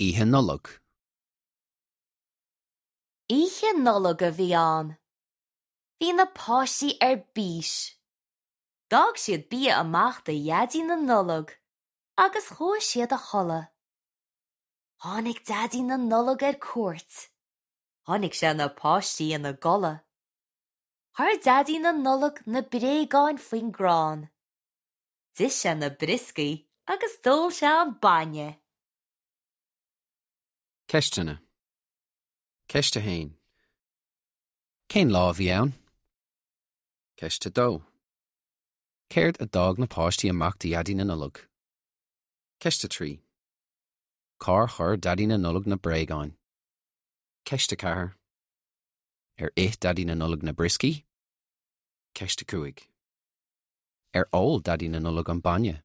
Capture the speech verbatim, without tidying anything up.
Oíche Nollag. Oíche Nollag a bhí ann. Bhí na páistí ar bís. D'fhág siad bia amach do Dhaidí na Nollag agus chuaigh siad a chodladh. Tháinig Daidí na Nollag ar cuairt. Chonaic sé na páistí ina gcodladh. Chuir Daidí na Nollag na bréagáin faoin gcrann. D'ith sé na brioscaí agus d'ól sé an bainne. Ceisteanna. Ceist a haon. Cén lá a bhí ann? Ceist a dó. Céard a d'fhág na páistí amach do Dhaidí na Nollag? Ceist a trí. Cár chuir Daidí na Nollag na bréagáin? Ceist a ceathair. Ar ith Daidí na Nollag na brioscaí? Ceist a cúig. Ar ól Daidí na Nollag an bainne?